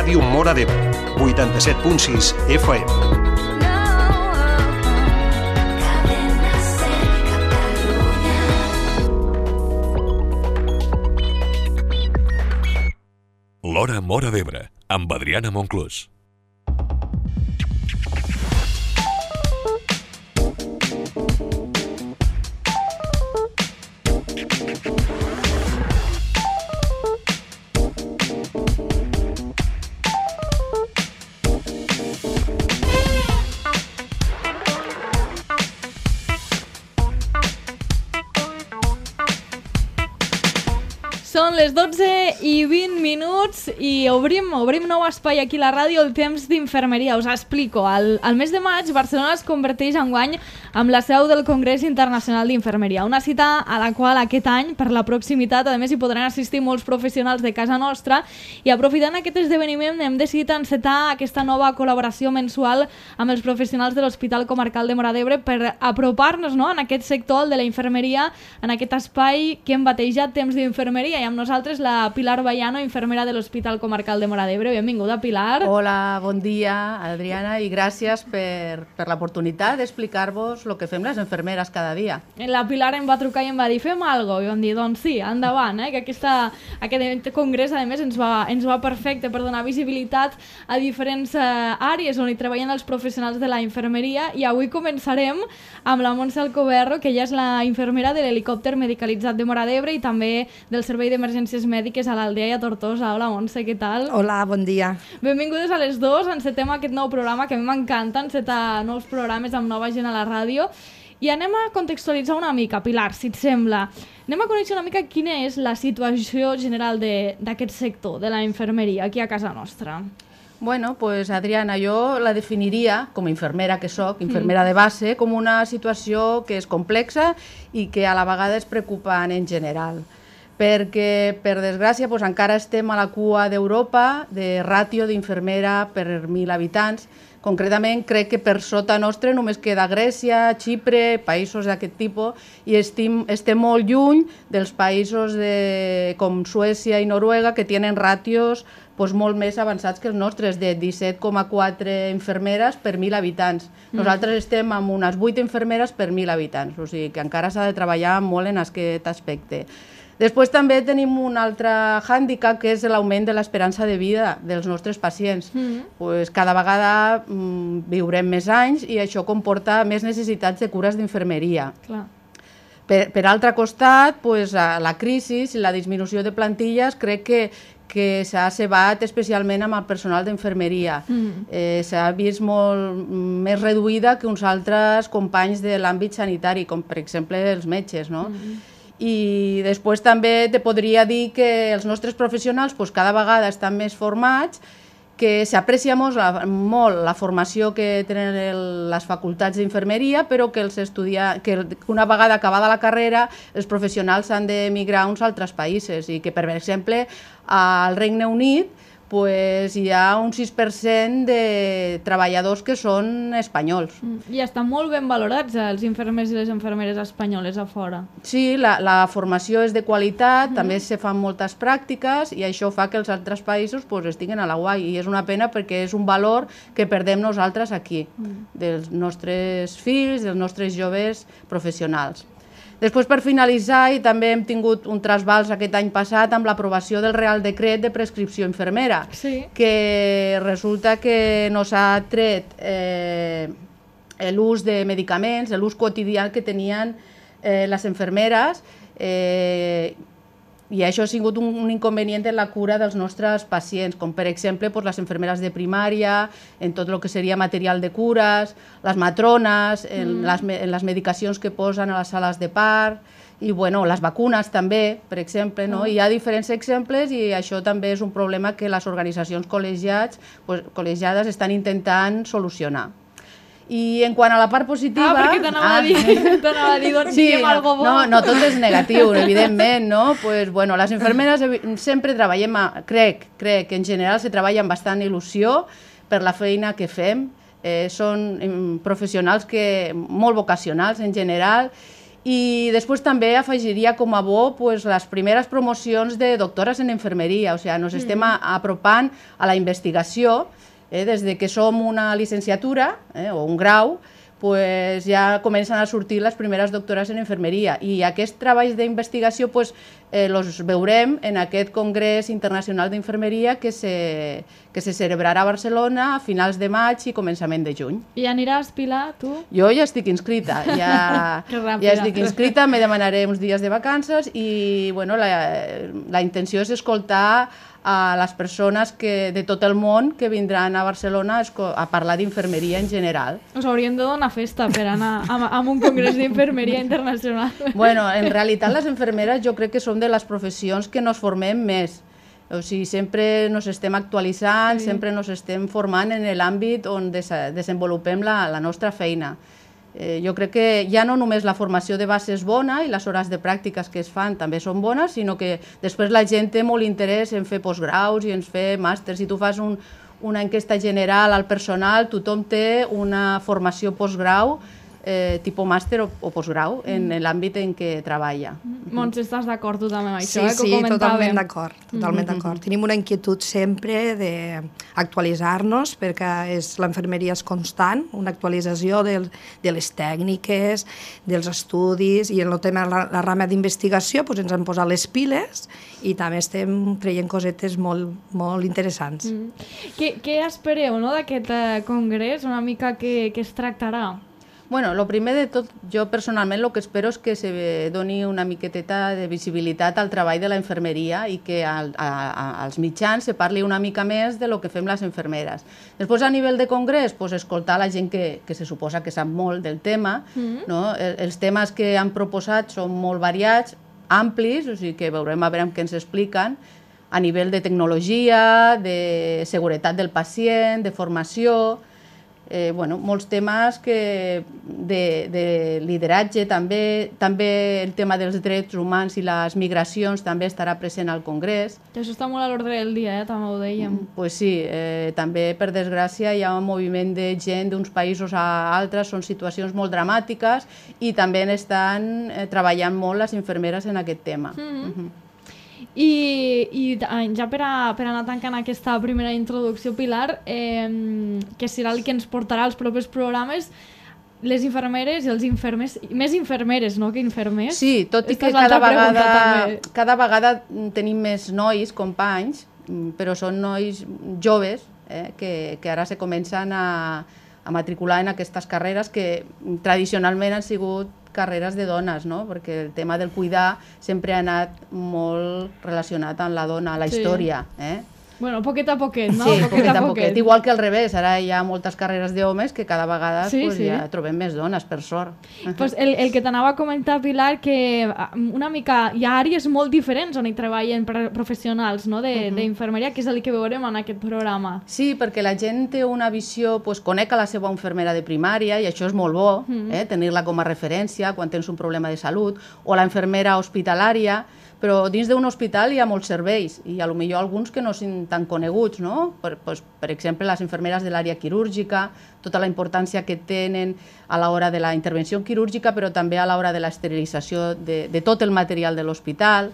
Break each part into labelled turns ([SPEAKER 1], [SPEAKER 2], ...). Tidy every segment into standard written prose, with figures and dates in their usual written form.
[SPEAKER 1] Ràdio Móra d'Ebre, 87.6 FM.
[SPEAKER 2] L'Hora Móra d'Ebre, amb Adriana Monclús.
[SPEAKER 3] Són les 12:20 i obrim nou espai aquí a la ràdio, el temps d'infermeria. Us explico. Al mes de maig, Barcelona es converteix enguany amb la seu del Congrés Internacional d'Infermeria, una cita a la qual aquest any, per la proximitat, a més hi podran assistir molts professionals de casa nostra, i aprofitant aquest esdeveniment hem decidit encetar aquesta nova col·laboració mensual amb els professionals de l'Hospital Comarcal de Móra d'Ebre per apropar-nos, no?, en aquest sector, el de la infermeria, en aquest espai que hem batejat Temps d'Infermeria. I amb nosaltres la Pilar Bayano, infermera de l'Hospital Comarcal de Móra d'Ebre. Benvinguda, Pilar.
[SPEAKER 4] Hola, bon dia, Adriana, i gràcies per l'oportunitat d'explicar-vos el que fem les infermeres cada dia.
[SPEAKER 3] La Pilar em va trucar i em va dir, fem alguna cosa? I vam dir, doncs sí, endavant, que aquest congrés, a més, ens va perfecte per donar visibilitat a diferents àrees on hi treballen els professionals de la infermeria, i avui començarem amb la Montse Alcoberro, que ella és la infermera de l'helicòpter medicalitzat de Móra d'Ebre i també del Servei d'Emergències Mèdiques a l'Aldea i a Tortosa. Hola, Montse, què tal?
[SPEAKER 5] Hola, bon dia.
[SPEAKER 3] Benvingudes a les dues. Encetem aquest nou programa, que a mi m'encanta encetar nous programes amb nova gent a la ràdio. I anem a contextualitzar una mica, Pilar, si et sembla. Anem a conèixer una mica quina és la situació general d'aquest sector, de la infermeria, aquí a casa nostra.
[SPEAKER 4] Bueno, pues Adriana, jo la definiria, com a infermera que soc, infermera de base, com una situació que és complexa i que a la vegada és preocupant en general. Perquè, per desgràcia, encara estem a la cua d'Europa de ràtio d'infermera per 1.000 habitants. Concretament, crec que per sota nostre només queda Grècia, Xipre, països d'aquest tipus, i estem molt lluny dels països com Suècia i Noruega, que tenen ràtios molt més avançats que els nostres, de 17,4 infermeres per 1.000 habitants. Nosaltres estem amb unes 8 infermeres per 1.000 habitants, o sigui que encara s'ha de treballar molt en aquest aspecte. Després també tenim un altre hàndicap, que és l'augment de l'esperança de vida dels nostres pacients. Cada vegada viurem més anys i això comporta més necessitats de cures d'infermeria. Per altre costat, la crisi i la disminució de plantilles crec que s'ha cebat especialment amb el personal d'infermeria. S'ha vist molt més reduïda que uns altres companys de l'àmbit sanitari, com per exemple els metges, no? I després també te podria dir que els nostres professionals cada vegada estan més formats, que s'aprecia molt la formació que tenen les facultats d'infermeria, però que una vegada acabada la carrera els professionals han d'emigrar a uns altres països, i que, per exemple, al Regne Unit hi ha un 6% de treballadors que són espanyols.
[SPEAKER 3] I estan molt ben valorats els infermers i les infermeres espanyoles a fora.
[SPEAKER 4] Sí, la formació és de qualitat, també se fan moltes pràctiques, i això fa que els altres països estiguen a la guai, i és una pena perquè és un valor que perdem nosaltres aquí, dels nostres fills, dels nostres joves professionals. Després, per finalitzar, i també hem tingut un trasbals aquest any passat amb l'aprovació del Real Decret de prescripció infermera, que resulta que no s'ha tret l'ús de medicaments, l'ús quotidià que tenien les infermeres, i això ha sigut un inconvenient en la cura dels nostres pacients, com per exemple les infermeres de primària, en tot el que seria material de cures, les matrones, en les medicacions que posen a les sales de part, i les vacunes també, per exemple. Hi ha diferents exemples, i això també és un problema que les organitzacions col·legiades estan intentant solucionar. I en quant a la part positiva...
[SPEAKER 3] perquè t'anava a dir, doncs diguem alguna cosa bo.
[SPEAKER 4] No, tot és negatiu, evidentment, no? Les infermeres sempre treballem, crec que en general se treballa amb bastant il·lusió per la feina que fem. Són professionals molt vocacionals en general, I després també afegiria com a bo pues, les primeres promocions de doctores en infermeria, o sigui, ens estem apropant a la investigació, des de que som una licenciatura o un grau, pues ja comencen a sortir les primeres doctores en infermeria i aquests treballs d'investigació pues, els veurem en aquest Congrés Internacional d'Infermeria que se celebrarà a Barcelona a finals de maig i començament de juny.
[SPEAKER 3] I aniràs, Pilar, tu?
[SPEAKER 4] Jo ja estic inscrita, ja estic inscrita, me demanaré uns dies de vacances i bueno, la intenció és escoltar a les persones de tot el món que vindran a Barcelona a parlar d'infermeria en general.
[SPEAKER 3] Us hauríem de donar festa per anar a un congrés d'infermeria internacional.
[SPEAKER 4] Bueno, en realitat les infermeres jo crec que són de les professions que nos formem més. O sigui, sempre nos estem actualitzant, sempre nos estem formant en l'àmbit on desenvolupem la nostra feina. Jo crec que ja no només la formació de base és bona i les hores de pràctiques que es fan també són bones, sinó que després la gent té molt interès en fer postgraus i en fer màsters. Si tu fas una enquesta general al personal, tothom té una formació postgrau, tipus màster o postgrau, en l'àmbit en què treballa.
[SPEAKER 3] Montse, estàs d'acord tu també amb això?
[SPEAKER 5] Sí, totalment d'acord. Totalment d'acord. Tenim una inquietud sempre d'actualitzar-nos perquè l'enfermeria és constant, una actualització de les tècniques, dels estudis, i en el tema de la rama d'investigació ens han posat les piles i també estem traient cosetes molt interessants.
[SPEAKER 3] Què espereu d'aquest congrés? Una mica què es tractarà?
[SPEAKER 4] Bueno, el primer de tot, jo personalment el que espero és que se doni una miqueteta de visibilitat al treball de la infermeria i que als mitjans se parli una mica més de lo que fem les infermeres. Després, a nivell de congrés, escoltar la gent que se suposa que sap molt del tema. Els temes que han proposat són molt variats, amplis, o sigui que veurem a veure què ens expliquen, a nivell de tecnologia, de seguretat del pacient, de formació, molts temes de lideratge, també el tema dels drets humans i les migracions també estarà present al Congrés.
[SPEAKER 3] Això està molt a l'ordre del dia, també ho dèiem.
[SPEAKER 4] Pues sí, també per desgràcia hi ha un moviment de gent d'uns països a altres, són situacions molt dramàtiques i també estan treballant molt les infermeres en aquest tema.
[SPEAKER 3] I ja per anar tancant aquesta primera introducció, Pilar, que serà el que ens portarà als propers programes, les infermeres i els infermers, més infermeres, no?, que infermers.
[SPEAKER 4] Sí, tot i que cada vegada tenim més nois, companys, però són nois joves que ara se comencen a matricular en aquestes carreres que tradicionalment han sigut carreres de dones, no? Perquè el tema del cuidar sempre ha anat molt relacionat amb la dona, a la història.
[SPEAKER 3] Bueno, poquet a poquet, no?
[SPEAKER 4] Sí, poquet a poquet. Igual que al revés, ara hi ha moltes carreres d'homes que cada vegada ja trobem més dones, per sort.
[SPEAKER 3] El que t'anava a comentar, Pilar, que una mica hi ha àrees molt diferents on hi treballen professionals d'infermeria, que és el que veurem en aquest programa.
[SPEAKER 4] Sí, perquè la gent té una visió, conec a la seva infermera de primària i això és molt bo, tenir-la com a referència quan tens un problema de salut, o la infermera hospitalària, però dins d'un hospital hi ha molts serveis i potser alguns que no són tan coneguts, no? Per exemple, les infermeres de l'àrea quirúrgica, tota la importància que tenen a l'hora de la intervenció quirúrgica, però també a l'hora de l'esterilització de tot el material de l'hospital.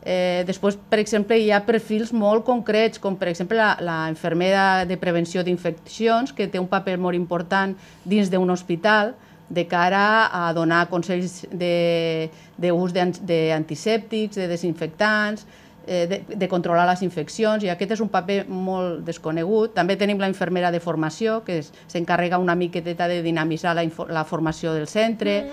[SPEAKER 4] Després, per exemple, hi ha perfils molt concrets, com per exemple la infermera de prevenció d'infeccions, que té un paper molt important dins d'un hospital, de cara a donar consells d'ús d'antisèptics, de desinfectants, de controlar les infeccions, i aquest és un paper molt desconegut. També tenim la infermera de formació, que s'encarrega una miqueteta de dinamitzar la formació del centre,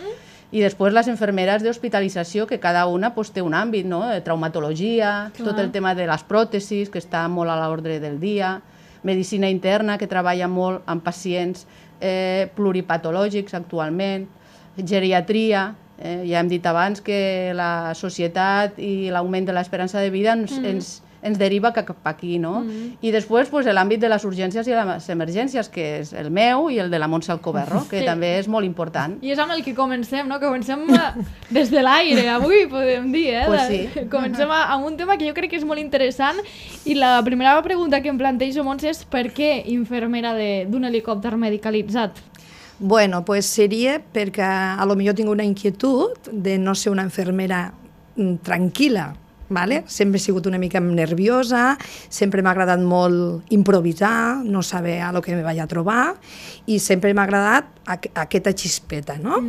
[SPEAKER 4] i després les infermeres d'hospitalització, que cada una té un àmbit, traumatologia, tot el tema de les pròtesis, que està molt a l'ordre del dia, medicina interna, que treballa molt amb pacients pluripatològics actualment, geriatria, ja hem dit abans que la societat i l'augment de l'esperança de vida ens deriva cap aquí, no? I després l'àmbit de les urgències i les emergències, que és el meu i el de la Montse Alcoberro, que també és molt important.
[SPEAKER 3] I és amb el que comencem, no? Comencem des de l'aire, avui podem dir,
[SPEAKER 4] Pues sí.
[SPEAKER 3] Comencem amb un tema que jo crec que és molt interessant, i la primera pregunta que em plantejo, Montse, és per què infermera d'un helicòpter medicalitzat?
[SPEAKER 5] Bueno, pues seria perquè a lo millor tinc una inquietud de no ser una infermera tranquil·la, vale? Sempre he sigut una mica nerviosa, sempre m'ha agradat molt improvisar, no saber a lo que me vaig a trobar, i sempre m'ha agradat aquesta xispeta, no?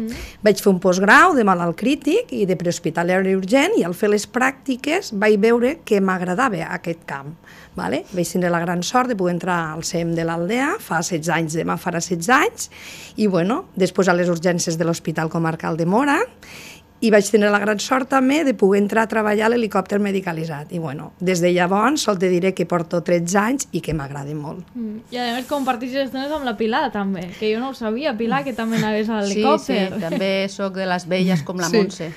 [SPEAKER 5] Vaig fer un postgrau de malalt crític i de prehospitalari urgent, i al fer les pràctiques vaig veure que m'agradava aquest camp. Vale? Vaig tenir la gran sort de poder entrar al CEM de l'Aldea, fa 16 anys, demà farà 16 anys, i bueno, després a les urgències de l'Hospital Comarcal de Móra, i vaig tenir la gran sort també de poder entrar a treballar a l'helicòpter medicalitzat. I bueno, des de llavors sol te diré que porto 13 anys i que m'agrada molt.
[SPEAKER 3] I a més compartís estones amb la Pilar també, que jo no ho sabia, Pilar, que també anaves a l'helicòpter.
[SPEAKER 4] Sí, també sóc de les velles com la Montse.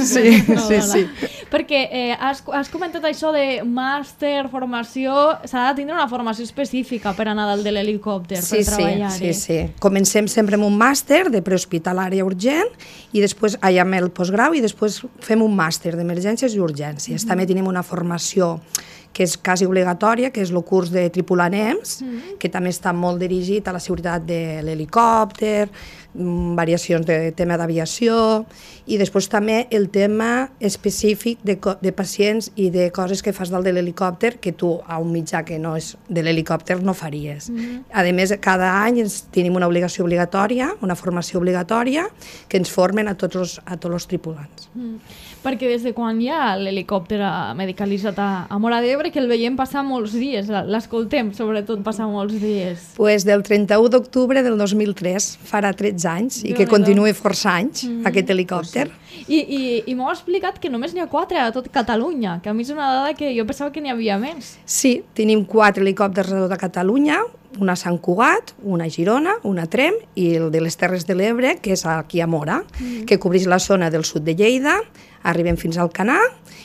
[SPEAKER 5] Sí.
[SPEAKER 3] Perquè has comentat això de màster, formació, s'ha de tindre una formació específica per anar dalt de l'helicòpter, per treballar-hi.
[SPEAKER 5] Sí. Comencem sempre amb un màster de prehospitalària urgent i després allà amb el postgrau i després fem un màster d'emergències i urgències. També tenim una formació que és quasi obligatòria, que és el curs de tripulant EMS, que també està molt dirigit a la seguretat de l'helicòpter, variacions de tema d'aviació, i després també el tema específic de pacients i de coses que fas dalt de l'helicòpter que tu a un mitjà que no és de l'helicòpter no faries. A més, cada any tenim una obligació obligatòria, una formació obligatòria, que ens formen a tots els tripulants.
[SPEAKER 3] Perquè des de quan hi ha l'helicòpter medicalitzat a Móra d'Ebre, que el veiem passar molts dies, l'escoltem sobretot passar molts dies.
[SPEAKER 5] Pues del 31 d'octubre del 2003, farà 13 anys, i que continuï força anys, aquest helicòpter.
[SPEAKER 3] I m'heu explicat que només n'hi ha 4 a tot Catalunya, que a mi és una dada que jo pensava que n'hi havia més.
[SPEAKER 5] Sí, tenim 4 helicòpters a tota Catalunya, una a Sant Cugat, una a Girona, una a Tremp i el de les Terres de l'Ebre, que és aquí a Móra, que cobreix la zona del sud de Lleida, arribem fins al Canà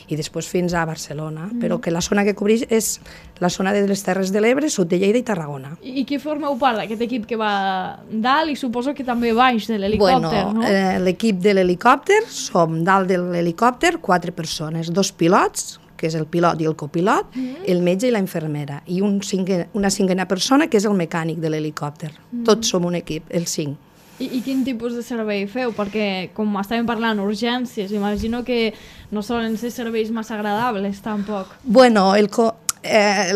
[SPEAKER 5] i després fins a Barcelona, però que la zona que cobreix és la zona de les Terres de l'Ebre, sud de Lleida i Tarragona.
[SPEAKER 3] I qui formeu part d'aquest equip que va dalt i suposo que també baix de l'helicòpter, no?
[SPEAKER 5] L'equip de l'helicòpter, som dalt de l'helicòpter 4 persones, 2 pilots, que és el pilot i el copilot, el metge i la infermera, i una cinquena persona que és el mecànic de l'helicòpter. Tots som un equip, els 5.
[SPEAKER 3] I quin tipus de servei feu? Perquè, com estàvem parlant, urgències, imagino que no solen ser serveis massa agradables, tampoc.
[SPEAKER 5] Bueno,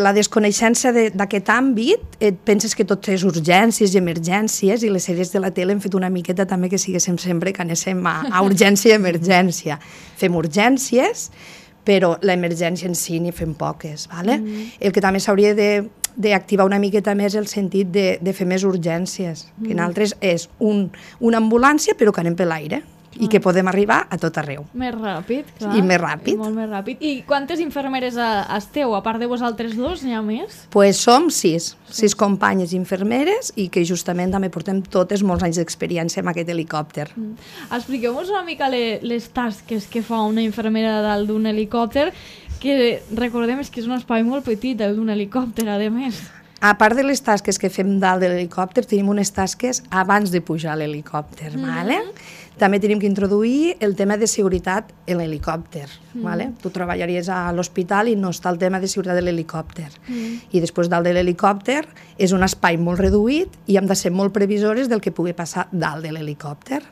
[SPEAKER 5] la desconeixença d'aquest àmbit, et penses que tot és urgències i emergències, i les sèries de la tele hem fet una miqueta també que siguéssim sempre que anéssim a urgència i emergència. Fem urgències, però l'emergència en si n'hi fem poques. El que també s'hauria d'activar una miqueta més el sentit de fer més urgències, que en altres és una ambulància però que anem per l'aire i que podem arribar a tot arreu.
[SPEAKER 3] Més ràpid, clar.
[SPEAKER 5] I més ràpid.
[SPEAKER 3] Molt més ràpid. I quantes infermeres esteu? A part de vosaltres dos, n'hi ha més?
[SPEAKER 5] Pues som 6 companyes infermeres i que justament també portem totes molts anys d'experiència amb aquest helicòpter.
[SPEAKER 3] Expliqueu-nos una mica les tasques que fa una infermera dalt d'un helicòpter, que recordem que és un espai molt petit, el d'un helicòpter, a més.
[SPEAKER 5] A part de les tasques que fem dalt de l'helicòpter, tenim unes tasques abans de pujar a l'helicòpter. També tenim que introduir el tema de seguretat en l'helicòpter. Tu treballaries a l'hospital i no està el tema de seguretat de l'helicòpter. I després dalt de l'helicòpter és un espai molt reduït i hem de ser molt previsores del que pugui passar dalt de l'helicòpter.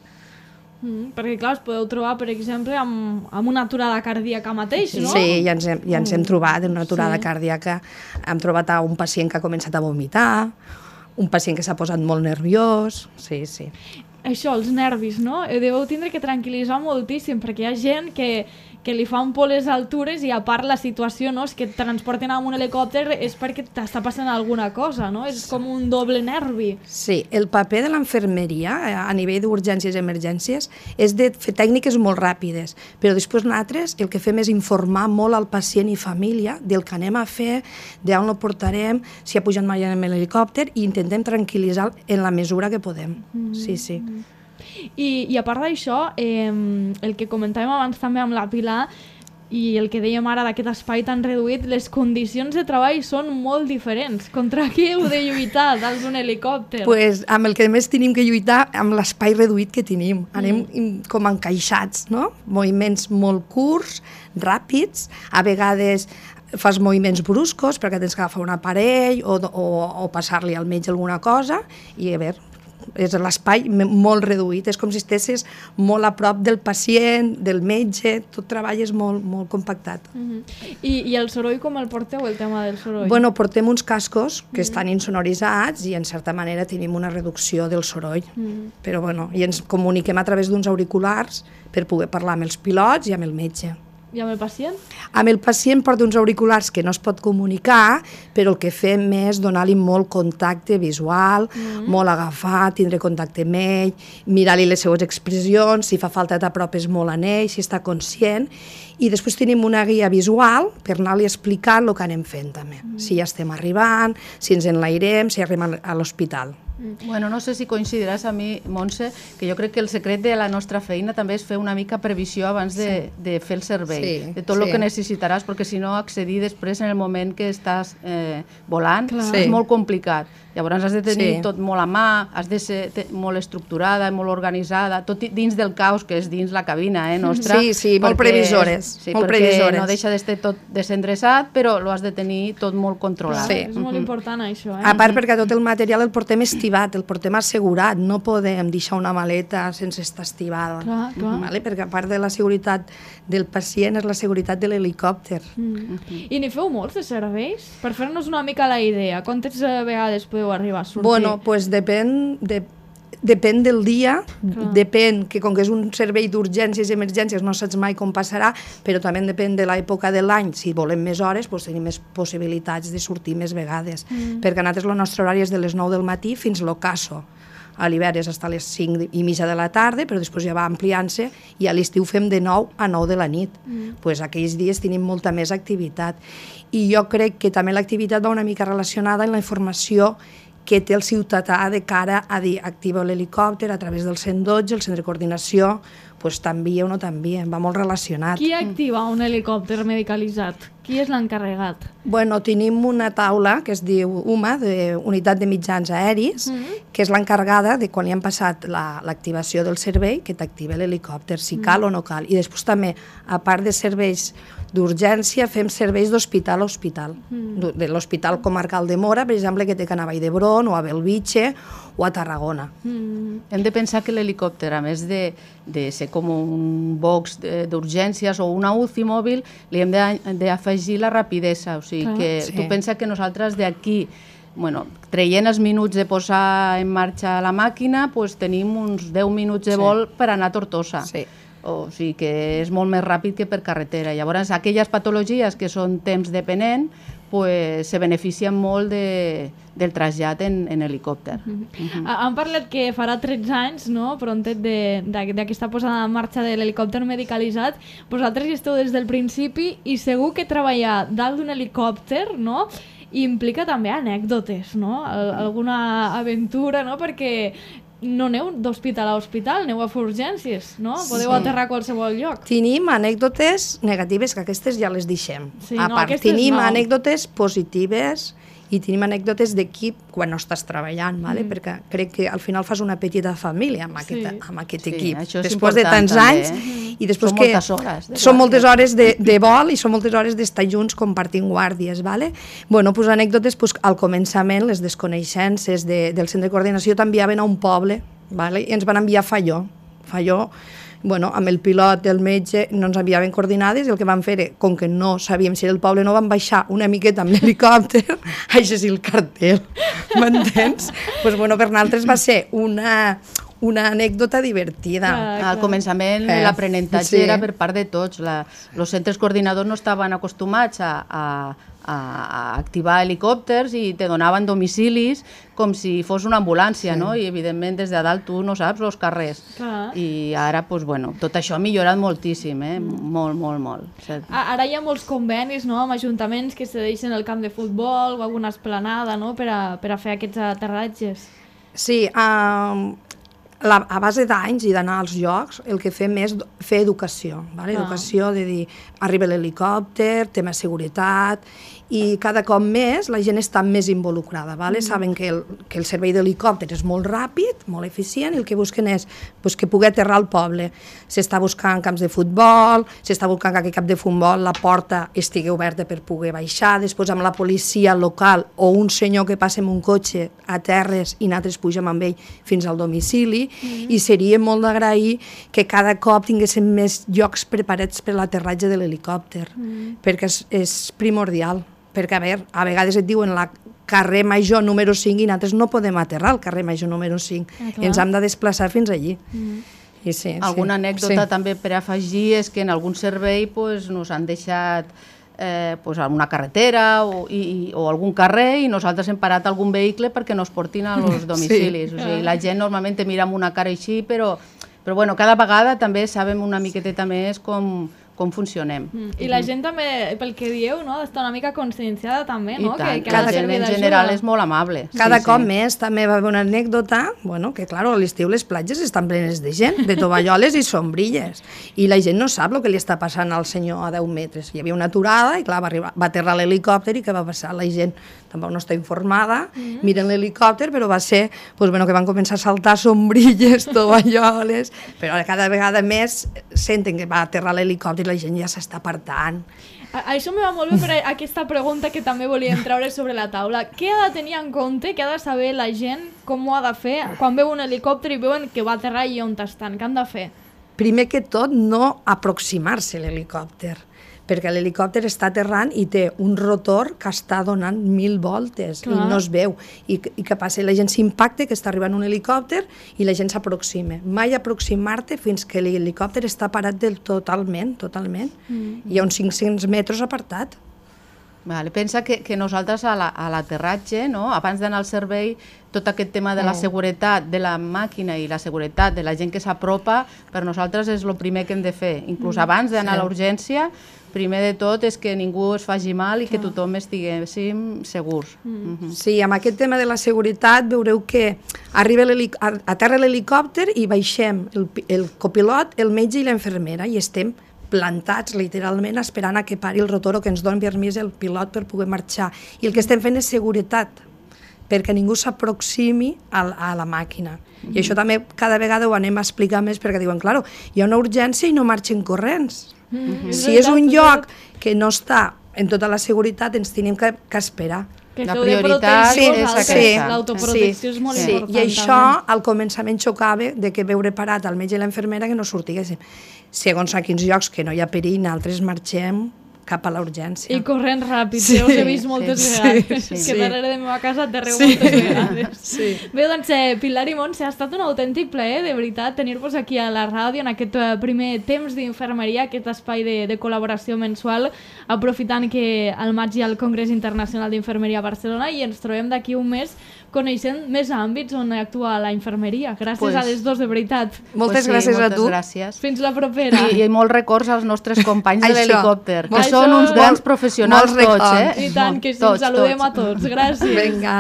[SPEAKER 3] Perquè, clar, us podeu trobar, per exemple, amb una aturada cardíaca mateix, no?
[SPEAKER 5] Sí, ja ens hem trobat en una aturada cardíaca. Hem trobat un pacient que ha començat a vomitar, un pacient que s'ha posat molt nerviós, sí.
[SPEAKER 3] Això, els nervis, no? Deveu tindre que tranquil·litzar moltíssim, perquè hi ha gent que li fan por les altures i a part la situació, no? És que et transporten amb un helicòpter és perquè t'està passant alguna cosa, no? És com un doble nervi.
[SPEAKER 5] Sí, el paper de l'infermeria a nivell d'urgències i emergències és de fer tècniques molt ràpides, però després nosaltres el que fem és informar molt al pacient i família del que anem a fer, d'on el portarem, si ha pujat mai en l'helicòpter, i intentem tranquil·litzar en la mesura que podem. Sí.
[SPEAKER 3] I a part d'això, el que comentàvem abans també amb la Pilar i el que dèiem ara d'aquest espai tan reduït, les condicions de treball són molt diferents. Contra qui heu de lluitar dalt d'un helicòpter?
[SPEAKER 5] Pues amb el que més tenim que lluitar, amb l'espai reduït que tenim. Anem com encaixats, no? Moviments molt curts, ràpids, a vegades fas moviments bruscos perquè tens que agafar un aparell o passar-li al metge alguna cosa i a veure, és l'espai molt reduït, és com si estessis molt a prop del pacient, del metge, tot treball és molt, molt compactat.
[SPEAKER 3] I el soroll com el porteu, el tema del soroll?
[SPEAKER 5] Bueno, portem uns cascos que estan insonoritzats i en certa manera tenim una reducció del soroll, però bueno, i ens comuniquem a través d'uns auriculars per poder parlar amb els pilots i amb el metge.
[SPEAKER 3] I amb el pacient?
[SPEAKER 5] Amb el pacient porta uns auriculars que no es pot comunicar, però el que fem és donar-li molt contacte visual, molt agafar, tindre contacte amb ell, mirar-li les seues expressions, si fa falta t'apropes molt a ell, si està conscient, i després tenim una guia visual per anar-li explicant el que anem fent també, si ja estem arribant, si ens enlairem, si arribem a l'hospital.
[SPEAKER 4] Bueno, no sé si coincidiràs a mi, Montse, que jo crec que el secret de la nostra feina també és fer una mica previsió abans de fer el servei, de tot el que necessitaràs, perquè si no accedir després en el moment que estàs volant és molt complicat. Llavors has de tenir tot molt a mà, has de ser molt estructurada, molt organitzada, tot dins del caos que és dins la cabina nostra.
[SPEAKER 5] Sí, molt previsores.
[SPEAKER 4] Sí, perquè no deixa d'estar tot desendreçat, però ho has de tenir tot molt controlat.
[SPEAKER 3] Sí. És molt important això.
[SPEAKER 5] A part perquè tot el material el portem estivat, el portem assegurat, no podem deixar una maleta sense estar estivada. Vale? Perquè a part de la seguretat del pacient és la seguretat de l'helicòpter.
[SPEAKER 3] I n'hi feu molts de serveis? Per fer-nos una mica la idea, quantes vegades podeu arribar a sortir?
[SPEAKER 5] Bueno, pues depèn del dia, depèn que com que és un servei d'urgències i emergències no saps mai com passarà, però també depèn de l'època de l'any, si volem més hores pues tenim més possibilitats de sortir més vegades, perquè nosaltres el nostre horari és de les 9 del matí fins l'ocaso. A l'hivern és fins a les 5:30 de la tarda, però després ja va ampliant-se i a l'estiu fem de 9 a 9 de la nit. Pues aquells dies tenim molta més activitat. I jo crec que també l'activitat va una mica relacionada amb la informació que té el ciutadà de cara a dir activa l'helicòpter a través del 112, el centre de coordinació, pues t'envia o no t'envia, va molt relacionat.
[SPEAKER 3] Qui activa un helicòpter medicalitzat? Qui és l'encarregat?
[SPEAKER 5] Bueno, tenim una taula que es diu UMA, de Unitat de Mitjans Aeris, que és l'encarregada de quan li han passat l'activació del servei, que t'activa l'helicòpter, si cal o no cal. I després també, a part de serveis d'urgència, fem serveis d'hospital a hospital. De l'Hospital Comarcal de Móra, per exemple, que té que anar a Vall d'Hebron o a Belvitge o a Tarragona.
[SPEAKER 4] Hem de pensar que l'helicòpter, a més de ser com un box d'urgències o una UCI mòbil, li hem d'afegir la rapidesa. O sigui, que tu pensa que nosaltres d'aquí, traient els minuts de posar en marxa la màquina, tenim uns 10 minuts de vol per anar a Tortosa. O sigui que és molt més ràpid que per carretera. Llavors, aquelles patologies que són temps dependent se beneficien molt del trasllat en helicòpter.
[SPEAKER 3] Han parlat que farà 13 anys, no?, prontet d'aquesta posada en marxa de l'helicòpter medicalitzat. Vosaltres hi esteu des del principi i segur que treballar dalt d'un helicòpter, no?, implica també anècdotes, no?, alguna aventura, no?, perquè no aneu d'hospital a hospital, aneu a fer urgències, no? Podeu aterrar a qualsevol lloc.
[SPEAKER 5] Tenim anècdotes negatives, que aquestes ja les deixem. A part, tenim anècdotes positives i tenim anècdotes d'equip quan no estàs treballant, perquè crec que al final fas una petita família amb aquest equip. Després de tants anys, i després que són moltes hores de vol i són moltes hores d'estar junts compartint guàrdies. Doncs anècdotes, al començament, les desconeixences del centre de coordinació t'enviaven a un poble i ens van enviar a Falló. Amb el pilot, el metge, no ens enviaven coordinades i el que vam fer, com que no sabíem si era el poble, no vam baixar una miqueta amb l'helicòpter a llegir el cartell, m'entens? Per nosaltres va ser una anècdota divertida.
[SPEAKER 4] Al començament l'aprenentatge era per part de tots. Els centres coordinadors no estaven acostumats a activar helicòpters i te donaven domicilis com si fos una ambulància, no? I evidentment des de dalt tu no saps els carrers. I ara, tot això ha millorat moltíssim, molt, molt, molt.
[SPEAKER 3] Ara hi ha molts convenis amb ajuntaments que cedeixen el camp de futbol o alguna esplanada per a fer aquests aterratges.
[SPEAKER 5] Sí, a base d'anys i d'anar als llocs, el que fem és fer educació, vale? Educació de dir, arriba l'helicòpter, tema seguretat, i cada cop més la gent està més involucrada, vale? Saben que el servei d'helicòpter és molt ràpid, molt eficient, i el que busquen és que pugui aterrar al poble. S'està buscant camps de futbol, s'està buscant que aquest camp de futbol la porta estigui oberta per poder baixar, després amb la policia local o un senyor que passa amb un cotxe a terres i nosaltres pugem amb ell fins al domicili, i seria molt d'agrair que cada cop tinguéssim més llocs preparats per l'aterratge de l'helicòpter, perquè és primordial. Perquè, a vegades et diuen la carrer Major número 5 i nosaltres no podem aterrar al carrer Major número 5. Ens hem de desplaçar fins allí. I sí,
[SPEAKER 4] alguna anècdota també per afegir és que en algun servei nos han deixat una carretera o algun carrer i nosaltres hem parat algun vehicle perquè nos portin als domicilis. O sigui, la gent normalment te mira amb una cara així, però bueno, cada vegada també sabem una miqueteta més com funcionem.
[SPEAKER 3] I la gent també, pel que dieu, està una mica conscienciada també, no?
[SPEAKER 4] I tant, que la gent en general és molt amable.
[SPEAKER 5] Cada cop més, també va haver una anècdota, que clar, a l'estiu les platges estan plenes de gent, de tovalloles i sombrilles, i la gent no sap el que li està passant al senyor a 10 metres. Hi havia una aturada i clar, va aterrar l'helicòpter i què va passar? La gent tampoc no està informada, miren l'helicòpter, però va ser que van començar a saltar sombrilles, tovalloles, però cada vegada més senten que va aterrar l'helicòpter i la gent ja s'està apartant.
[SPEAKER 3] Això me va molt bé per aquesta pregunta que també volíem treure sobre la taula. Què ha de tenir en compte, què ha de saber la gent, com ho ha de fer, quan veu un helicòpter i veuen que va aterrar i on estan? Què han de fer?
[SPEAKER 5] Primer que tot, no aproximar-se a l'helicòpter, perquè l'helicòpter està aterrant i té un rotor que està donant 1000 voltes i no es veu. I què passa? La gent s'impacta que està arribant un helicòpter i la gent s'aproxima. Mai aproximar-te fins que l'helicòpter està parat totalment. Hi ha uns 500 metres apartat.
[SPEAKER 4] Pensa que nosaltres a l'aterratge, abans d'anar al servei, tot aquest tema de la seguretat de la màquina i la seguretat de la gent que s'apropa, per nosaltres és el primer que hem de fer. Inclús abans d'anar a l'urgència, primer de tot és que ningú es faci mal i que tothom estiguéssim segurs.
[SPEAKER 5] Sí, amb aquest tema de la seguretat veureu que aterra l'helicòpter i baixem el copilot, el metge i l'infermera i estem plantats literalment esperant a que pari el rotor o que ens doni permís el pilot per poder marxar. I el que estem fent és seguretat, perquè ningú s'aproximi a la màquina. I això també cada vegada ho anem a explicar més perquè diuen, clar, hi ha una urgència i no marxen corrents. Si és un lloc que no està en tota la seguretat, ens tenim que esperar.
[SPEAKER 4] La prioritat és aquesta.
[SPEAKER 3] L'autoprotecció és molt important.
[SPEAKER 5] I això al començament xocava de que veure parat el metge i l'infermera que no sortiguessin. Segons a quins llocs que no hi ha perill, nosaltres marxem cap a la urgència.
[SPEAKER 3] I corrent ràpid, ja us he vist moltes vegades, que darrere de la meva casa aterreu moltes vegades. Bé, doncs, Pilar i Montse, ha estat un autèntic plaer, de veritat, tenir-vos aquí a la ràdio en aquest primer temps d'infermeria, aquest espai de col·laboració mensual, aprofitant que al maig hi ha el Congrés Internacional d'Infermeria a Barcelona i ens trobem d'aquí un mes coneixent més àmbits on actua la infermeria. Gràcies a les dos, de veritat.
[SPEAKER 5] Moltes gràcies a tu.
[SPEAKER 3] Fins la propera.
[SPEAKER 4] I molts records als nostres companys de l'helicòpter, que són uns grans professionals tots.
[SPEAKER 3] I tant, que sí, ens saludem a tots. Gràcies.
[SPEAKER 5] Vinga.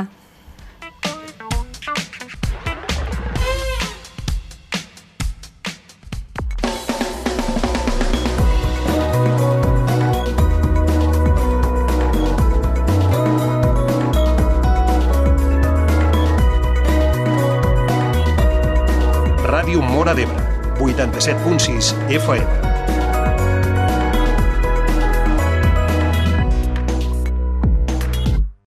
[SPEAKER 1] Ràdio Móra d'Ebre, 87.6 FM.